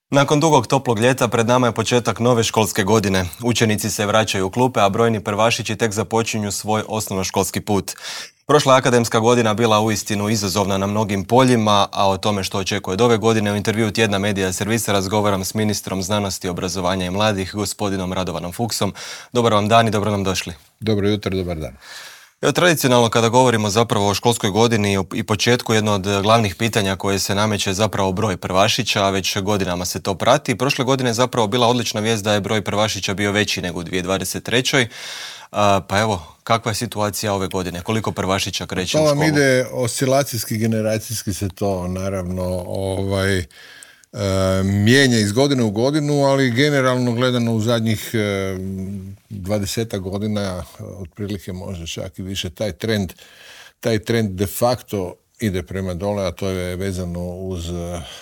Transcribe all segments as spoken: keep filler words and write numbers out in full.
Nakon dugog toplog ljeta pred nama je početak nove školske godine. Učenici se vraćaju u klupe, a brojni prvašići tek započinju svoj osnovnoškolski put. Prošla akademska godina bila uistinu izazovna na mnogim poljima, a o tome što očekuje od ove godine u intervjuu Tjedna Medija Servisa razgovaram s ministrom znanosti, obrazovanja i mladih, gospodinom Radovanom Fuchsom. Dobar vam dan i dobro nam došli. Dobro jutro, dobar dan. Evo, tradicionalno kada govorimo zapravo o školskoj godini i početku, jedno od glavnih pitanja koje se nameće je zapravo broj prvašića, a već godinama se to prati. Prošle godine je zapravo bila odlična vijest da je broj prvašića bio veći nego u dvije tisuće dvadeset trećoj. A, pa evo, kakva je situacija ove godine? Koliko prvašića kreće u školu? To vam ide oscilacijski, generacijski se to naravno ovaj, e, mijenja iz godine u godinu, ali generalno gledano u zadnjih e, dvadesetak godina, otprilike možda čak i više, taj trend, taj trend de facto ide prema dole, a to je vezano uz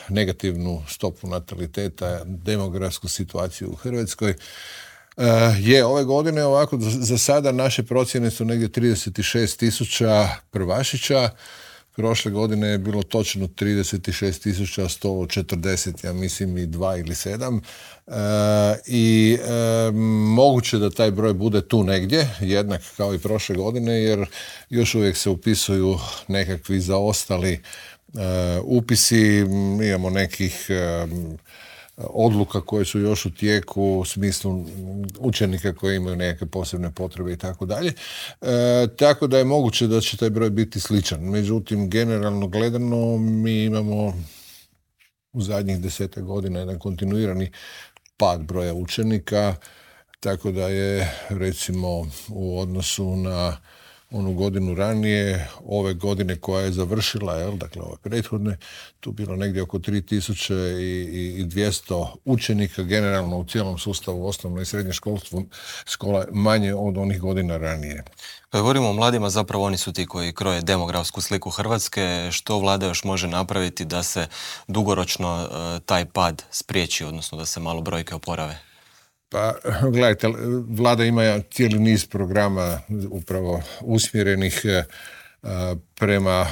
negativnu stopu nataliteta, demografsku situaciju u Hrvatskoj. Uh, je, ove godine ovako, za sada naše procjene su negdje trideset šest tisuća prvašića. Prošle godine je bilo točno trideset šest tisuća sto četrdeset, ja mislim i dva ili sedam. Uh, I uh, moguće da taj broj bude tu negdje, jednak kao i prošle godine, jer još uvijek se upisuju nekakvi zaostali uh, upisi. Imamo nekih uh, odluka koje su još u tijeku u smislu učenika koji imaju neke posebne potrebe i tako dalje. Tako da je moguće da će taj broj biti sličan. Međutim, generalno gledano mi imamo u zadnjih desetak godina jedan kontinuirani pad broja učenika, tako da je recimo u odnosu na onu godinu ranije, ove godine koja je završila, jel, dakle ove prethodne, tu bilo negdje oko tri tisuće dvjesto učenika generalno u cijelom sustavu osnovno i srednje školstvo, škola manje od onih godina ranije. Kad govorimo o mladima, zapravo oni su ti koji kroje demografsku sliku Hrvatske. Što vlada još može napraviti da se dugoročno uh, taj pad spriječi, odnosno da se malo brojke oporave? Pa, gledajte, vlada ima cijeli niz programa upravo usmjerenih uh, prema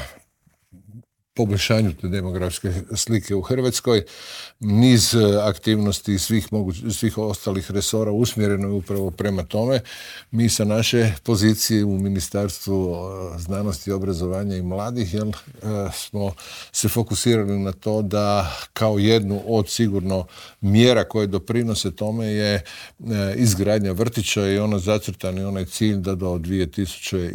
poboljšanju te demografske slike u Hrvatskoj. Niz aktivnosti svih, moguć, svih ostalih resora usmjereno je upravo prema tome. Mi sa naše pozicije u Ministarstvu znanosti, obrazovanja i mladih jel, smo se fokusirali na to da kao jednu od sigurno mjera koje doprinose tome je izgradnja vrtića i ono zacrtani onaj cilj da do dvije tisuće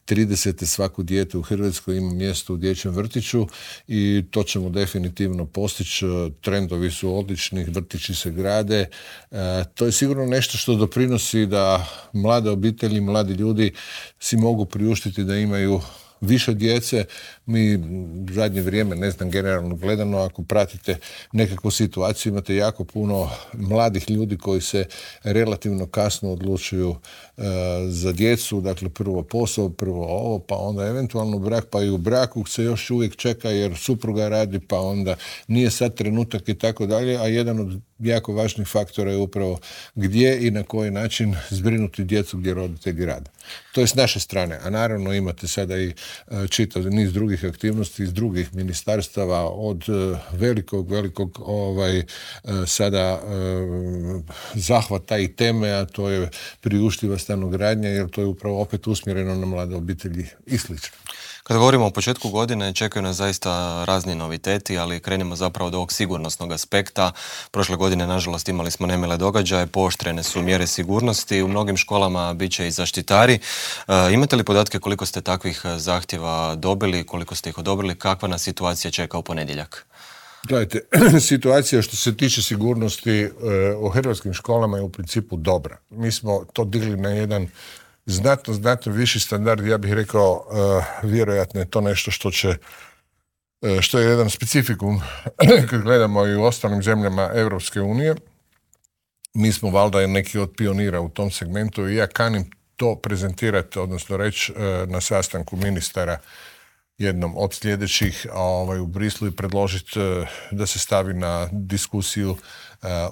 tridesete svako dijete u Hrvatskoj ima mjesto u dječjem vrtiću i to ćemo definitivno postići. Trendovi su odlični, vrtići se grade. E, to je sigurno nešto što doprinosi da mlade obitelji, mladi ljudi si mogu priuštiti da imaju više djece. Mi u zadnje vrijeme, ne znam, generalno gledano, ako pratite nekakvu situaciju, imate jako puno mladih ljudi koji se relativno kasno odlučuju e, za djecu, dakle prvo posao, prvo ovo, pa onda eventualno brak, pa i u braku se još uvijek čeka jer supruga radi, pa onda nije sad trenutak i tako dalje, a jedan od jako važnih faktora je upravo gdje i na koji način zbrinuti djecu gdje roditelji rade. To je s naše strane, a naravno imate sada i čitav niz drugih aktivnosti iz drugih ministarstava od velikog, velikog ovaj, sada zahvata i teme, a to je priuštiva stanogradnja, jer to je upravo opet usmjereno na mlade obitelji i slično. Kada govorimo o početku godine, čekaju nas zaista razni noviteti, ali krenimo zapravo od ovog sigurnosnog aspekta. Prošle godine, nažalost, imali smo nemile događaje, pooštrene su mjere sigurnosti, u mnogim školama bit će i zaštitari. E, imate li podatke koliko ste takvih zahtjeva dobili, koliko ste ih odobrili, kakva nas situacija čeka u ponedjeljak? Gledajte, situacija što se tiče sigurnosti e, u hrvatskim školama je u principu dobra. Mi smo to digli na jedan znatno, znatno viši standard, ja bih rekao, uh, vjerojatno je to nešto što će, uh, što je jedan specifikum kad gledamo i u ostalim zemljama Europske unije. Mi smo valjda neki od pionira u tom segmentu i ja kanim to prezentirati, odnosno reći uh, na sastanku ministara jednom od sljedećih ovaj, u Brislu i predložiti uh, da se stavi na diskusiju uh,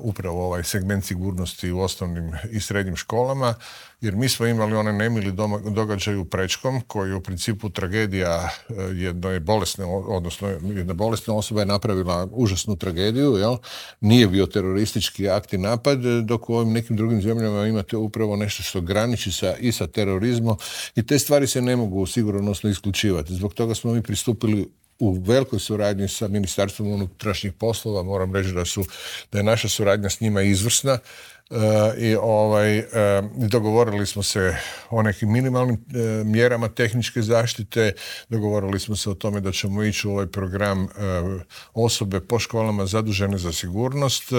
upravo ovaj segment sigurnosti u osnovnim i srednjim školama, jer mi smo imali onaj nemili događaj u Prečkom, koji je u principu tragedija jedne bolesne, odnosno jedna bolesna osoba je napravila užasnu tragediju, jel? Nije bio teroristički akt i napad, dok u ovim nekim drugim zemljama imate upravo nešto što graniči sa, i sa terorizmom i te stvari se ne mogu sigurnosno isključivati. Zbog toga smo mi pristupili u velikoj suradnji sa Ministarstvom unutrašnjih poslova. Moram reći da, su, da je naša suradnja s njima izvrsna. Uh, i ovaj, uh, dogovorili smo se o nekim minimalnim uh, mjerama tehničke zaštite, dogovorili smo se o tome da ćemo ići u ovaj program uh, osobe po školama zadužene za sigurnost uh,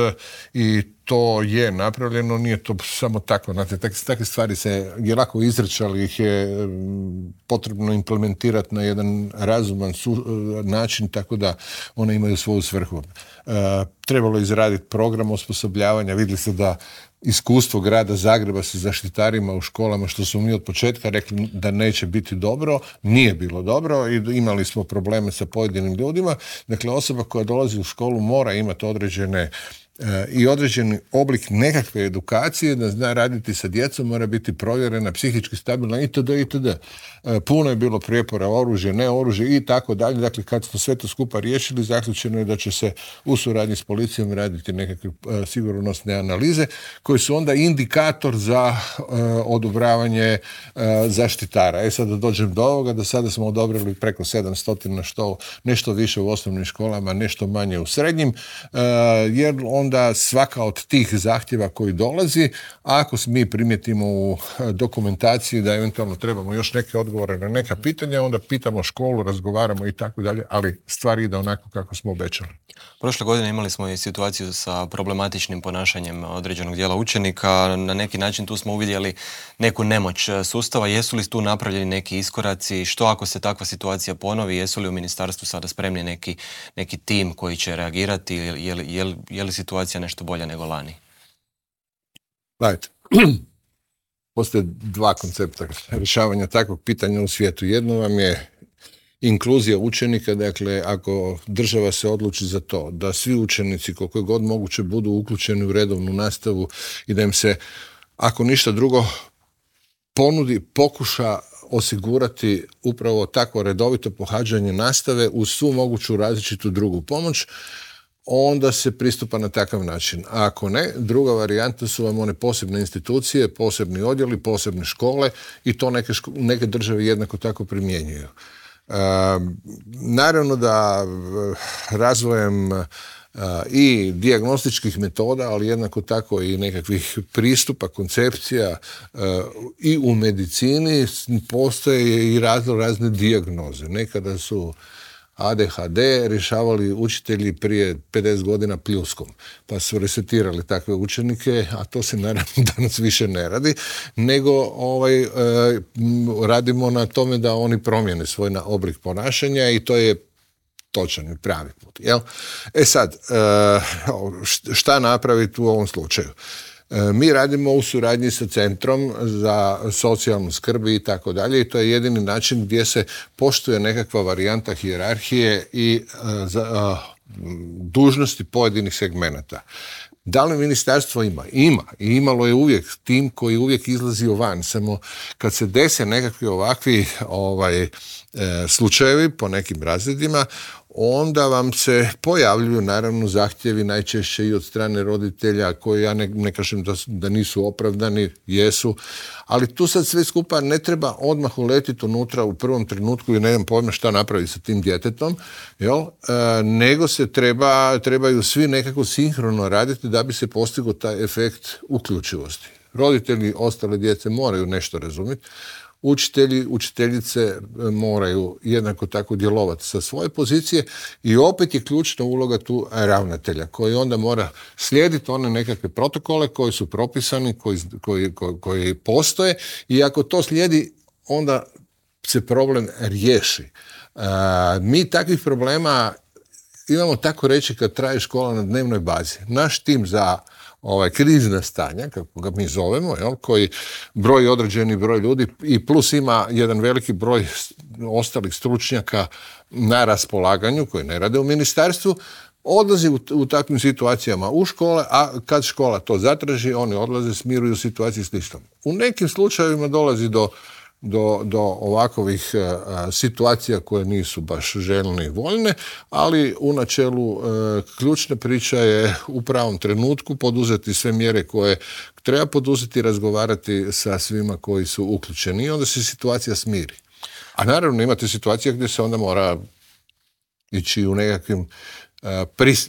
i to je napravljeno, nije to samo tako, znate, takve, takve stvari se je lako izreći, ali ih je um, potrebno implementirati na jedan razuman su, uh, način, tako da one imaju svoju svrhu. Uh, trebalo izraditi program osposobljavanja, vidjeli ste da iskustvo grada Zagreba sa zaštitarima u školama, što smo mi od početka rekli da neće biti dobro, nije bilo dobro i imali smo probleme sa pojedinim ljudima. Dakle, osoba koja dolazi u školu mora imati određene i određeni oblik nekakve edukacije, da zna raditi sa djecom, mora biti provjerena, psihički stabilna itd. itd. Puno je bilo prijepora, oružje, ne oružje i tako dalje. Dakle, kad smo sve to skupa riješili, zaključeno je da će se u suradnji s policijom raditi nekakve uh, sigurnosne analize koje su onda indikator za uh, odobravanje uh, zaštitara. E sad da dođem do ovoga, da sada smo odobrili preko sedamsto, što nešto više u osnovnim školama, nešto manje u srednjim, uh, jer onda svaka od tih zahtjeva koji dolazi, ako mi primijetimo u dokumentaciji da eventualno trebamo još neke odgovore na neka pitanja, onda pitamo školu, razgovaramo i tako dalje, ali stvar ide onako kako smo obećali. Prošle godine imali smo i situaciju sa problematičnim ponašanjem određenog dijela učenika. Na neki način tu smo uvidjeli neku nemoć sustava. Jesu li tu napravljeni neki iskoraci? Što ako se takva situacija ponovi? Jesu li u ministarstvu sada spremni neki, neki tim koji će reagirati? Je li, je li, je li situacija nešto bolja nego lani? Gledajte, postoje dva koncepta rješavanja takvog pitanja u svijetu. Jedno vam je inkluzija učenika, dakle ako država se odluči za to da svi učenici koliko je god moguće budu uključeni u redovnu nastavu i da im se, ako ništa drugo, ponudi, pokuša osigurati upravo takvo redovito pohađanje nastave uz svu moguću različitu drugu pomoć, onda se pristupa na takav način. A ako ne, druga varijanta su vam one posebne institucije, posebni odjeli, posebne škole i to neke, ško- neke države jednako tako primjenjuju. E, naravno da razvojem e, i dijagnostičkih metoda, ali jednako tako i nekakvih pristupa, koncepcija e, i u medicini postoje i razno razne dijagnoze. Nekada su A D H D rješavali učitelji prije pedeset godina pljuskom, pa su resetirali takve učenike, a to se naravno danas više ne radi, nego ovaj, e, radimo na tome da oni promijene svoj oblik ponašanja i to je točan i pravi put. Jel? E sad, e, šta napraviti u ovom slučaju? Mi radimo u suradnji sa Centrom za socijalnu skrb i tako dalje i to je jedini način gdje se poštuje nekakva varijanta hijerarhije i uh, za, uh, dužnosti pojedinih segmenata. Da li ministarstvo ima? Ima. I imalo je uvijek tim koji uvijek izlazi van. Samo kad se dese nekakvi ovakvi ovaj, e, slučajevi po nekim razredima, onda vam se pojavljuju naravno zahtjevi najčešće i od strane roditelja koji ja ne, ne kažem da, da nisu opravdani, jesu, ali tu sad sve skupa ne treba odmah uletiti unutra u prvom trenutku i ne znam pojma šta napraviti sa tim djetetom, jel? E, nego se treba, trebaju svi nekako sinhrono raditi da bi se postigao taj efekt uključivosti. Roditelji ostale djece moraju nešto razumjeti, učitelji, učiteljice moraju jednako tako djelovati sa svoje pozicije i opet je ključna uloga tu ravnatelja koji onda mora slijediti one nekakve protokole koji su propisani, koji, koji, koji, koji postoje i ako to slijedi onda se problem riješi. Uh, mi takvih problema imamo tako reći kad traje škola na dnevnoj bazi. Naš tim za ovaj krizna stanja, kako ga mi zovemo, jel, koji broji određeni broj ljudi i plus ima jedan veliki broj ostalih stručnjaka na raspolaganju koji ne rade u ministarstvu, odlazi u, u takvim situacijama u škole, a kad škola to zatraži, oni odlaze, smiruju situaciju slično. U nekim slučajevima dolazi do, do, do ovakovih a, situacija koje nisu baš željne i voljne, ali u načelu a, ključna priča je u pravom trenutku poduzeti sve mjere koje treba poduzeti, razgovarati sa svima koji su uključeni i onda se situacija smiri. A naravno imate situacije gdje se onda mora ići u nekakvim Pris,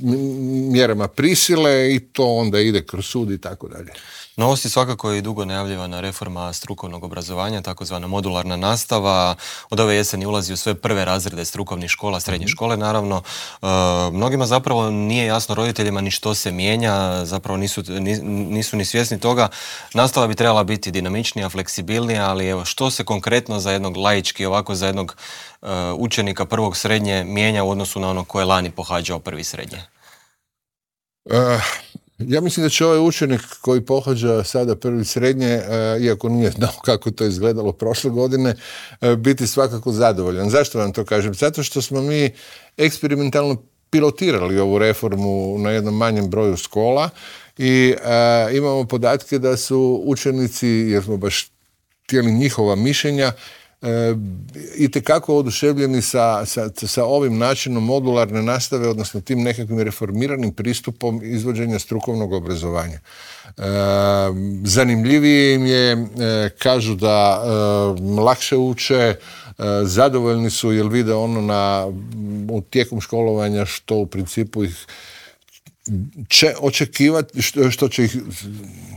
mjerama prisile i to onda ide kroz sud i tako dalje. Novost je svakako i dugo najavljivana reforma strukovnog obrazovanja, takozvana modularna nastava. Od ove jeseni ulazi u sve prve razrede strukovnih škola, srednje škole, naravno. E, mnogima zapravo nije jasno, roditeljima, ni što se mijenja, zapravo nisu, nisu ni svjesni toga. Nastava bi trebala biti dinamičnija, fleksibilnija, ali evo, što se konkretno za jednog laički, ovako za jednog uh, učenika prvog srednje mijenja u odnosu na ono koje je lani pohađao prvi srednje? Uh. Ja mislim da će ovaj učenik koji pohađa sada prvi srednje, iako nije znao kako to izgledalo prošle godine, biti svakako zadovoljan. Zašto vam to kažem? Zato što smo mi eksperimentalno pilotirali ovu reformu na jednom manjem broju škola i a, imamo podatke da su učenici, jer smo baš htjeli njihova mišljenja, E, itekako oduševljeni sa, sa, sa ovim načinom modularne nastave, odnosno tim nekakvim reformiranim pristupom izvođenja strukovnog obrazovanja. E, zanimljivije im je, e, kažu da e, lakše uče, e, zadovoljni su jer vide ono na, u tijekom školovanja što u principu ih će očekivati, što, što će ih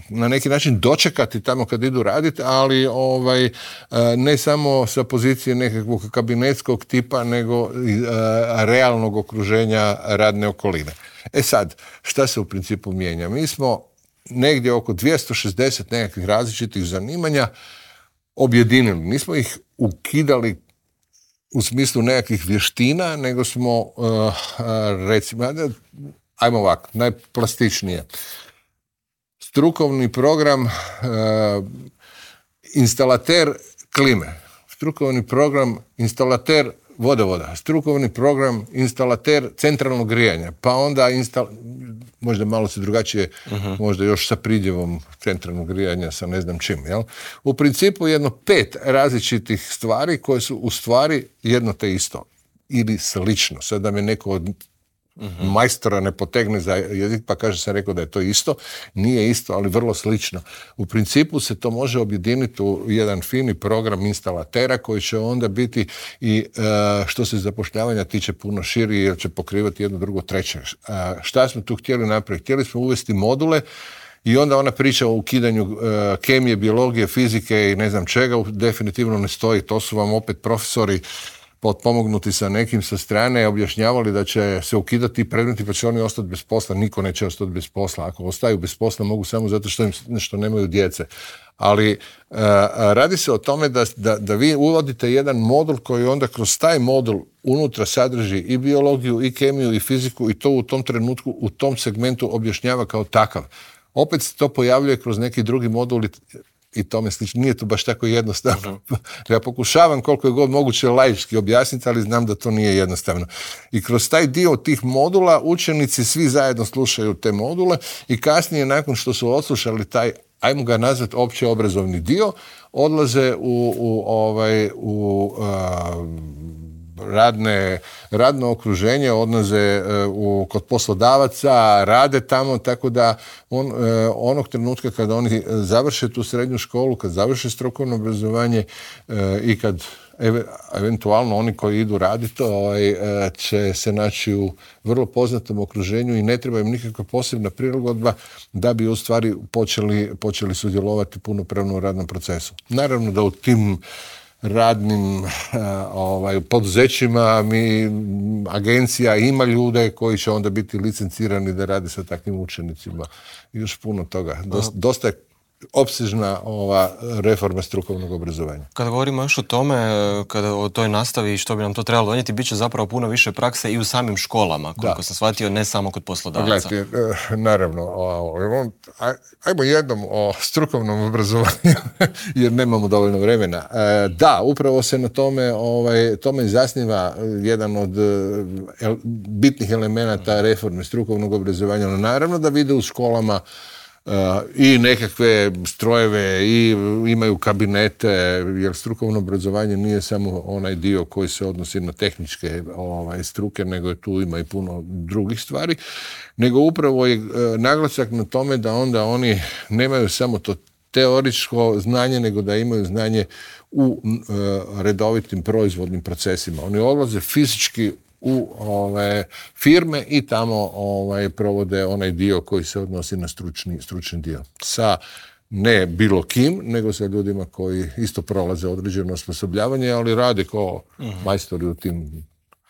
na neki način dočekati tamo kad idu raditi, ali ovaj, ne samo sa pozicije nekakvog kabinetskog tipa, nego realnog okruženja radne okoline. E sad, šta se u principu mijenja? Mi smo negdje oko dvjesto šezdeset nekakvih različitih zanimanja objedinili. Nismo ih ukidali u smislu nekakvih vještina, nego smo recimo, ajmo ovako, najplastičnije. Strukovni program uh, instalater klime, strukovni program instalater vodovoda, strukovni program instalater centralnog grijanja, pa onda instal... možda malo se drugačije, uh-huh. možda još sa pridjevom centralnog grijanja, sa ne znam čim. Jel? U principu jedno pet različitih stvari koje su u stvari jedno te isto ili slično. Sad da me neko od Uh-huh. majstora ne potegne za jezik pa kaže sam rekao da je to isto, nije isto, ali vrlo slično. U principu se to može objediniti u jedan fini program instalatera koji će onda biti i uh, što se zapošljavanja tiče puno širi jer će pokrivati jedno, drugo, treće. Uh, šta smo tu htjeli napraviti? Htjeli smo uvesti module i onda ona priča o ukidanju uh, kemije, biologije, fizike i ne znam čega definitivno ne stoji. To su vam opet profesori potpomognuti sa nekim sa strane, objašnjavali da će se ukidati predmeti pa će oni ostati bez posla. Niko neće ostati bez posla. Ako ostaju bez posla mogu samo zato što im nešto nemaju djece. Ali uh, radi se o tome da, da, da vi uvodite jedan modul koji onda kroz taj modul unutra sadrži i biologiju, i kemiju, i fiziku i to u tom trenutku, u tom segmentu objašnjava kao takav. Opet se to pojavljuje kroz neki drugi modul i tome slično. Nije to baš tako jednostavno. Uh-huh. Ja pokušavam koliko je god moguće laički objasniti, ali znam da to nije jednostavno. I kroz taj dio tih modula učenici svi zajedno slušaju te module i kasnije nakon što su odslušali taj, ajmo ga nazvati opće obrazovni dio, odlaze u, u, ovaj, u uh, radne, radno okruženje, odlaze u, kod poslodavaca, rade tamo, tako da on, onog trenutka kada oni završe tu srednju školu, kad završe strukovno obrazovanje i kad eventualno oni koji idu raditi ovaj, će se naći u vrlo poznatom okruženju i ne treba im nikakva posebna prilagodba da bi u stvari počeli, počeli sudjelovati punopravno u radnom procesu. Naravno da u tim radnim ovaj, poduzećima mi, agencija ima ljude koji će onda biti licencirani da rade sa takvim učenicima. I još puno toga. Dosta, dosta je opsežna ova reforma strukovnog obrazovanja. Kada govorimo još o tome, kada o toj nastavi i što bi nam to trebalo donijeti, bit će zapravo puno više prakse i u samim školama, koliko da. sam shvatio, ne samo kod poslodavaca. Gledajte, naravno, ajmo jednom o strukovnom obrazovanju, jer nemamo dovoljno vremena. Da, upravo se na tome, ovaj, tome zasniva jedan od bitnih elemenata reforme strukovnog obrazovanja. Naravno da vide u školama Uh, i nekakve strojeve i imaju kabinete, jer strukovno obrazovanje nije samo onaj dio koji se odnosi na tehničke ovaj, struke, nego je tu ima i puno drugih stvari, nego upravo je uh, naglasak na tome da onda oni nemaju samo to teoričko znanje, nego da imaju znanje u uh, redovitim proizvodnim procesima. Oni odlaze fizički u ove firme i tamo ovaj, provode onaj dio koji se odnosi na stručni, stručni dio. Sa ne bilo kim, nego sa ljudima koji isto prolaze određeno osposobljavanje, ali rade kao uh-huh. majstori u tim,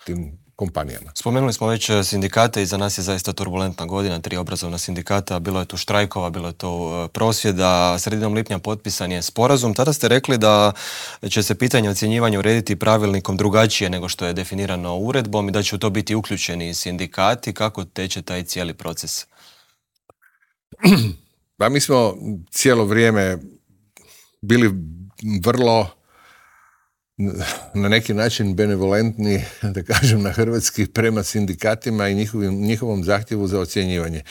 tim kompanijama. Spomenuli smo već sindikate i za nas je zaista turbulentna godina, tri obrazovna sindikata, bilo je tu štrajkova, bilo je tu prosvjeda, sredinom lipnja potpisan je sporazum. Tada ste rekli da će se pitanje ocjenjivanja urediti pravilnikom drugačije nego što je definirano uredbom i da će u to biti uključeni sindikati. Kako teče taj cijeli proces? Pa mi smo cijelo vrijeme bili vrlo na neki način benevolentni, da kažem na hrvatski, prema sindikatima i njihovim, njihovom zahtjevu za ocjenjivanje.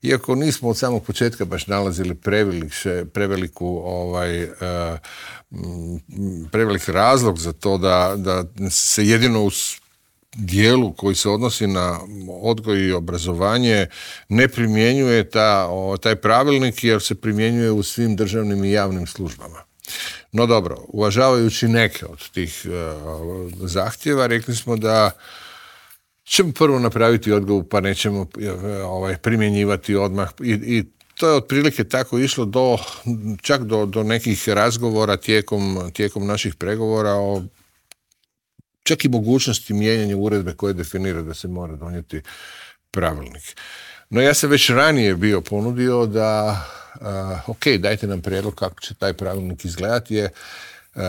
Iako nismo od samog početka baš nalazili prevelikše, preveliku, ovaj, uh, prevelik razlog za to da, da se jedino u dijelu koji se odnosi na odgoj i obrazovanje ne primjenjuje ta, o, taj pravilnik, jer se primjenjuje u svim državnim i javnim službama. No dobro, uvažavajući neke od tih uh, zahtjeva, rekli smo da ćemo prvo napraviti odgovor, pa nećemo uh, ovaj, primjenjivati odmah. I, i to je otprilike tako išlo do, čak do, do nekih razgovora tijekom, tijekom naših pregovora o čak i mogućnosti mijenjanja uredbe koje definira da se mora donijeti pravilnik. No ja sam već ranije bio ponudio da Uh, ok, dajte nam prijedlog kako će taj pravilnik izgledati, je, uh,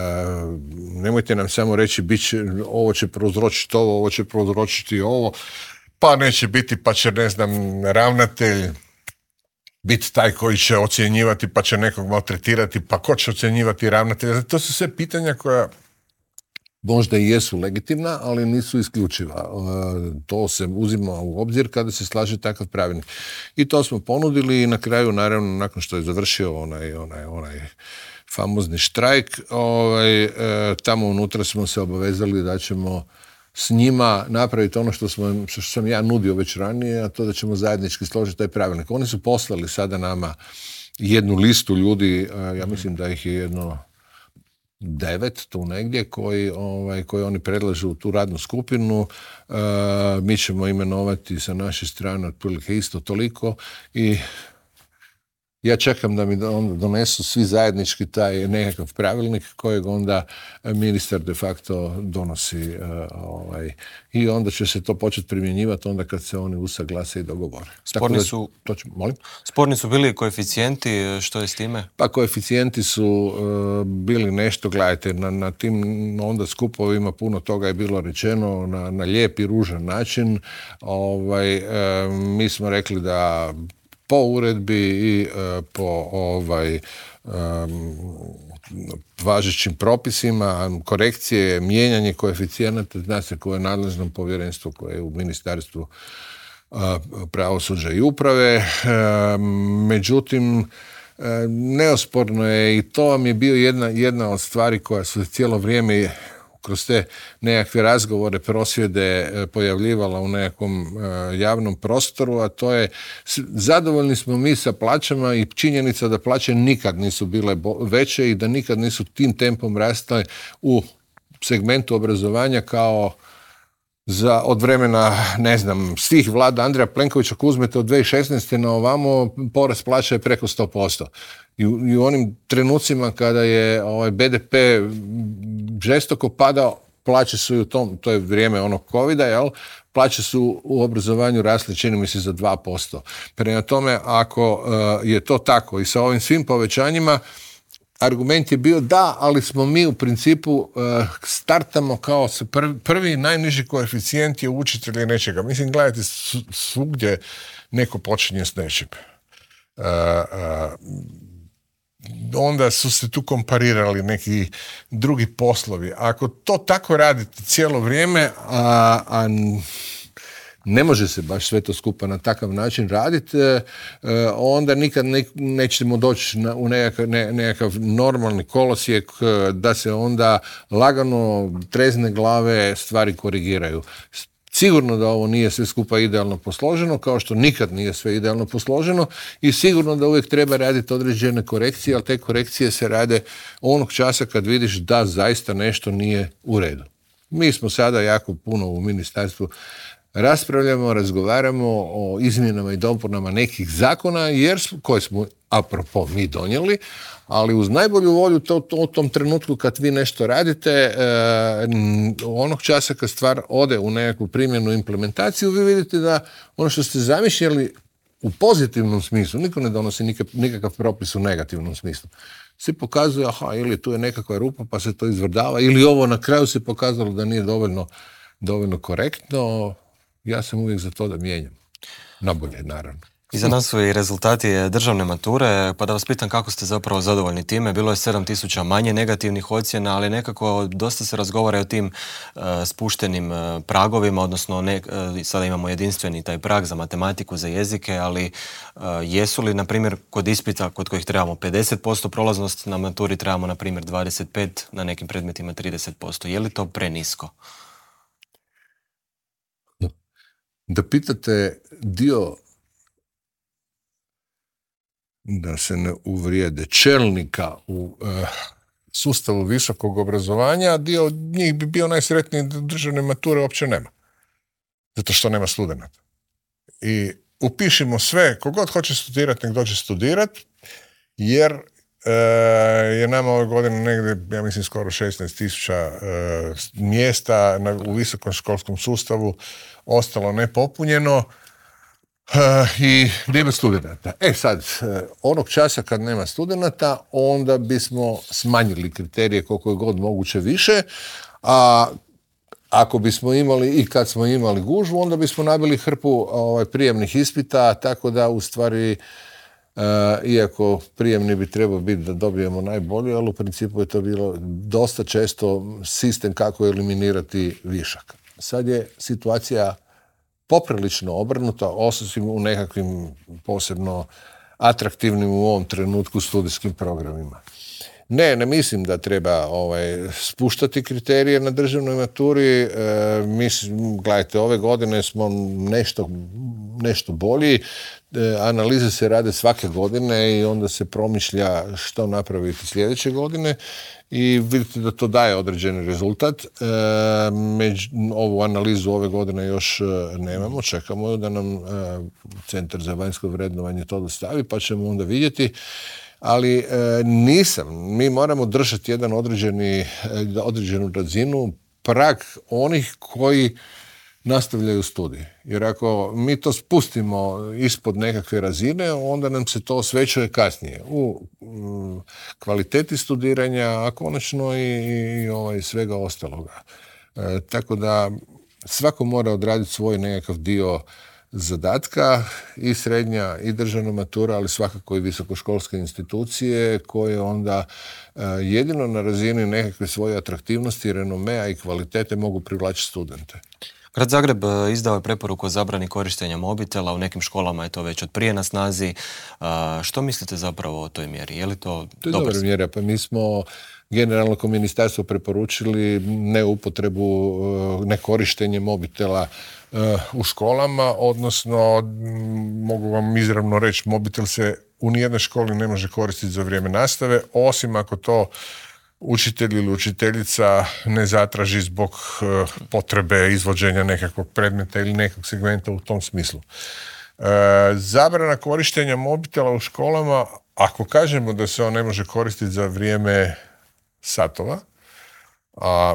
nemojte nam samo reći bit će, ovo će prouzročiti ovo, ovo će prouzročiti ovo, pa neće biti, pa će, ne znam, ravnatelj biti taj koji će ocjenjivati, pa će nekog maltretirati, pa ko će ocjenjivati ravnatelja. To su sve pitanja koja možda i jesu legitimna, ali nisu isključiva. To se uzima u obzir kada se slaže takav pravilnik. I to smo ponudili i na kraju, naravno, nakon što je završio onaj, onaj, onaj famozni štrajk, ovaj, tamo unutra smo se obavezali da ćemo s njima napraviti ono što, smo, što sam ja nudio već ranije, a to da ćemo zajednički složiti taj pravilnik. Oni su poslali sada nama jednu listu ljudi, ja mislim da ih je jedno devet tu negdje koji, ovaj, koji oni predlažu u tu radnu skupinu. Uh, mi ćemo imenovati sa naše strane otprilike isto toliko i ja čekam da mi onda donesu svi zajednički taj nekakav pravilnik kojeg onda ministar de facto donosi uh, ovaj, i onda će se to početi primjenjivati onda kad se oni usaglase i dogovore. Sporni su, to ću, molim? Sporni su bili koeficijenti, što je s time? Pa koeficijenti su uh, bili nešto, gledajte, na, na tim onda skupovima puno toga je bilo rečeno na, na lijep i ružan način. Ovaj, uh, mi smo rekli da po uredbi i uh, po ovaj, um, važećim propisima, korekcije, mijenjanje koeficijenata, zna se koje je nadležno povjerenstvo koje je u ministarstvu uh, pravosuđa i uprave. Uh, međutim, uh, neosporno je i to vam je bio jedna, jedna od stvari koja su cijelo vrijeme kroz te nekakve razgovore, prosvjede pojavljivala u nekakvom uh, javnom prostoru, a to je zadovoljni smo mi sa plaćama i činjenica da plaće nikad nisu bile bo- veće i da nikad nisu tim tempom rastale u segmentu obrazovanja kao za od vremena, ne znam, svih vlada Andreja Plenkovića, ako uzmete od dvije tisuće šesnaeste na ovamo, porast plaća je preko sto posto. I u, i u onim trenucima kada je ovaj be de pe žestoko padao, plaće su i u tom, to je vrijeme onog covida, jel? plaće su u obrazovanju rasle, čini mi se, za dva posto. Prema tome, ako uh, je to tako i sa ovim svim povećanjima, argument je bio da, ali smo mi u principu uh, startamo kao prvi, prvi najniži koeficijent je učitelj nečega. Mislim, gledajte, svugdje neko počinje s nečim. Uh, uh, onda su se tu komparirali neki drugi poslovi. Ako to tako radite cijelo vrijeme, a, a ne može se baš sve to skupa na takav način raditi, onda nikad ne, nećemo doći na, u nekakav, ne, nekakav normalni kolosijek da se onda lagano, trezne glave stvari korigiraju. Sigurno da ovo nije sve skupa idealno posloženo, kao što nikad nije sve idealno posloženo, i sigurno da uvijek treba raditi određene korekcije, ali te korekcije se rade onog časa kad vidiš da zaista nešto nije u redu. Mi smo sada jako puno u ministarstvu raspravljamo, razgovaramo o izmjenama i dopunama nekih zakona, jer smo, koje smo, apropo, mi donijeli, ali uz najbolju volju to, to, u tom trenutku kad vi nešto radite, e, onog časa kad stvar ode u nekakvu primjenu implementaciju, vi vidite da ono što ste zamišljali u pozitivnom smislu, niko ne donosi nikak, nikakav propis u negativnom smislu. Se pokazuje, aha, ili tu je nekakva rupa pa se to izvrdava, ili ovo na kraju se pokazalo da nije dovoljno, dovoljno korektno. Ja sam uvijek za to da mijenjam. Nabolje, naravno. Iza nas su i rezultati državne mature, pa da vas pitam kako ste zapravo zadovoljni time. Bilo je sedam tisuća manje negativnih ocjena, ali nekako dosta se razgovara o tim uh, spuštenim uh, pragovima, odnosno ne, uh, sada imamo jedinstveni taj prag za matematiku, za jezike, ali uh, jesu li, na primjer, kod ispita kod kojih trebamo pedeset posto prolaznost, na maturi trebamo, na primjer, dvadeset pet, na nekim predmetima trideset posto. Je li to prenisko? Da pitate dio, da se ne uvrijede, čelnika u uh, sustavu visokog obrazovanja, dio njih bi bio najsretniji da državne mature uopće nema. Zato što nema studenata. I upišimo sve, kogod hoće studirati, nek dođe studirati, jer uh, je nama ove godine negdje, ja mislim, skoro šesnaest tisuća uh, mjesta na, u visokom školskom sustavu ostalo nepopunjeno uh, i nema studenata. E sad, uh, onog časa kad nema studenata, onda bismo smanjili kriterije koliko je god moguće više, a ako bismo imali i kad smo imali gužvu, onda bismo nabili hrpu ovaj, prijemnih ispita, tako da u stvari, uh, iako prijemni bi trebao biti da dobijemo najbolje, ali u principu je to bilo dosta često sistem kako eliminirati višak. Sad je situacija poprilično obrnuta, osim u nekakvim posebno atraktivnim u ovom trenutku studijskim programima. Ne, ne mislim da treba ovaj, spuštati kriterije na državnoj maturi. E, mislim, gledajte, ove godine smo nešto, nešto bolji. E, analize se rade svake godine i onda se promišlja što napraviti sljedeće godine. I vidite da to daje određeni rezultat. E, među, ovu analizu ove godine još nemamo, čekamo da nam e, Centar za vanjsko vrednovanje to dostavi, pa ćemo onda vidjeti. Ali e, nisam. Mi moramo držati jedan određeni, određenu razinu, prag onih koji nastavljaju studij. Jer ako mi to spustimo ispod nekakve razine, onda nam se to osvećuje kasnije u m, kvaliteti studiranja, a konačno i, i ovaj, svega ostaloga. E, tako da svako mora odraditi svoj nekakav dio zadatka, i srednja i državna matura, ali svakako i visokoškolske institucije koje onda uh, jedino na razini nekakve svoje atraktivnosti, renomea i kvalitete mogu privlačiti studente. Grad Zagreb izdao je preporuku o zabrani korištenja mobitela, u nekim školama je to već od prije na snazi. Uh, što mislite zapravo o toj mjeri? Je li to, to je dobra mjera, pa mi smo generalno kao ministarstvo preporučili neupotrebu, nekorištenje mobitela u školama, odnosno mogu vam izravno reći, mobitel se u nijednoj školi ne može koristiti za vrijeme nastave, osim ako to učitelj ili učiteljica ne zatraži zbog potrebe izvođenja nekakvog predmeta ili nekog segmenta u tom smislu. Zabrana korištenja mobitela u školama, ako kažemo da se on ne može koristiti za vrijeme satova, a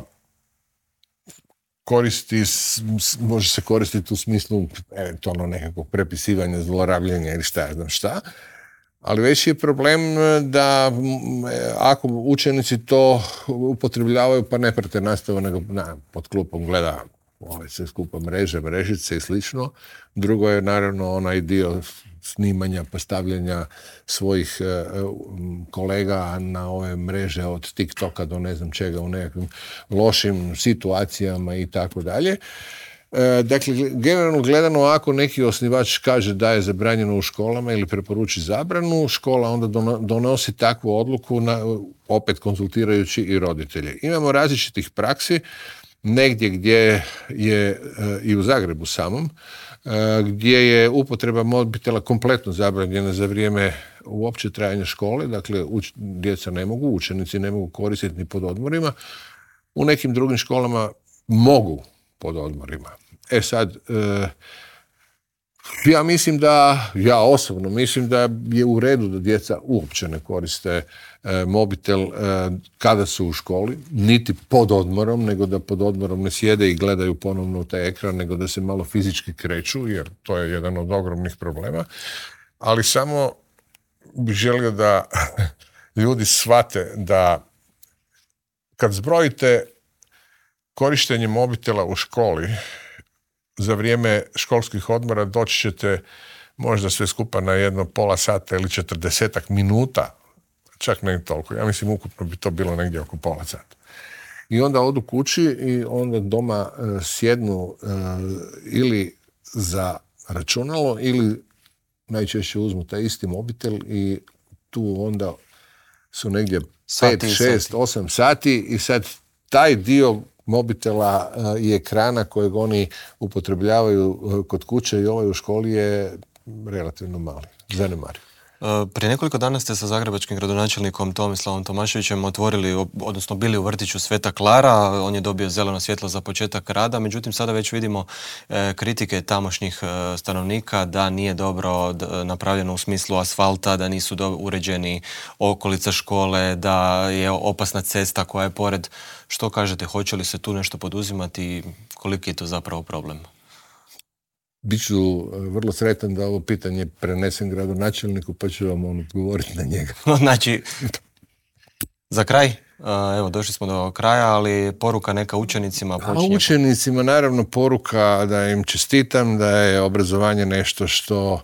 koristi, može se koristiti u smislu eventualno nekakvog prepisivanja, zlorabljenja ili šta ja znam šta. Ali veći je problem da ako učenici to upotrebljavaju pa ne prate nastavu, nego na, pod klupom gleda ove sve skupa mreže, mrežice i slično. Drugo je naravno onaj dio snimanja, postavljanja svojih e, kolega na ove mreže od TikToka do ne znam čega u nekakvim lošim situacijama i tako dalje. Dakle, generalno gledano, ako neki osnivač kaže da je zabranjeno u školama ili preporuči zabranu, škola onda donosi takvu odluku, na, opet konzultirajući i roditelje. Imamo različitih praksi, negdje gdje je i u Zagrebu samom, gdje je upotreba mobitela kompletno zabranjena za vrijeme uopće trajanja škole, dakle uč, djeca ne mogu, učenici ne mogu koristiti ni pod odmorima. U nekim drugim školama mogu pod odmorima. E sad, e, ja mislim da, ja osobno mislim da je u redu da djeca uopće ne koriste e, mobitel e, kada su u školi, niti pod odmorom, nego da pod odmorom ne sjede i gledaju ponovno u taj ekran, nego da se malo fizički kreću, jer to je jedan od ogromnih problema. Ali samo bih želio da ljudi shvate da kad zbrojite korištenje mobitela u školi za vrijeme školskih odmora doći ćete možda sve skupa na jedno pola sata ili četrdesetak minuta, čak ne toliko. Ja mislim ukupno bi to bilo negdje oko pola sata. I onda odu kući i onda doma uh, sjednu uh, ili za računalo ili najčešće uzmu taj isti mobitel i tu onda su negdje pet, šest, osam sati i sad taj dio mobitela i ekrana kojeg oni upotrebljavaju kod kuće i ovaj u školi je relativno mali, zanemariv. Prije nekoliko dana ste sa zagrebačkim gradonačelnikom Tomislavom Tomaševićem otvorili, odnosno bili u vrtiću Sveta Klara, on je dobio zeleno svjetlo za početak rada, međutim sada već vidimo e, kritike tamošnjih e, stanovnika da nije dobro d- napravljeno u smislu asfalta, da nisu do- uređeni okolica škole, da je opasna cesta koja je pored. Što kažete, hoće li se tu nešto poduzimati i koliki je to zapravo problem? Biću vrlo sretan da ovo pitanje prenesem gradonačelniku, pa ću vam on odgovoriti na njega. Znači, za kraj, evo došli smo do kraja, ali poruka neka učenicima počinje. A učenicima naravno poruka da im čestitam, da je obrazovanje nešto što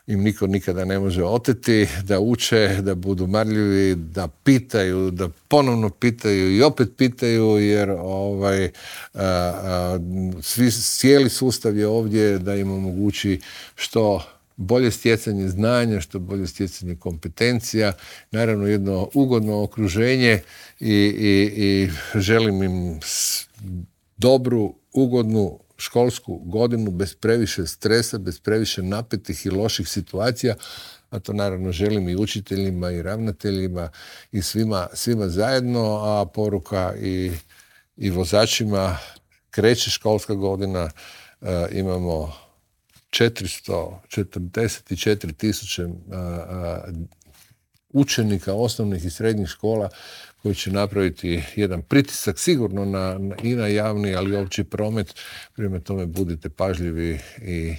im niko nikada ne može oteti, da uče, da budu marljivi, da pitaju, da ponovno pitaju i opet pitaju, jer ovaj, a, a, svi, cijeli sustav je ovdje da im omogući što bolje stjecanje znanja, što bolje stjecanje kompetencija, naravno jedno ugodno okruženje i, i, i želim im dobru, ugodnu školsku godinu bez previše stresa, bez previše napetih i loših situacija, a to naravno želim i učiteljima i ravnateljima i svima, svima zajedno, a poruka i, i vozačima, kreće školska godina, e, imamo četiristo četrdeset četiri tisuće učenika osnovnih i srednjih škola koji će napraviti jedan pritisak sigurno na, na, i na javni, ali i opći promet. Prema tome budite pažljivi i,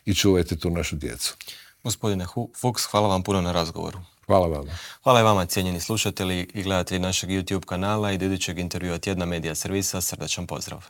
i čuvajte tu našu djecu. Gospodine Fuchs, hvala vam puno na razgovoru. Hvala vama. Hvala i vama, cijenjeni slušatelji i gledatelji našeg YouTube kanala i do idućeg intervjua Tjedna Medija Servisa. Srdačan pozdrav.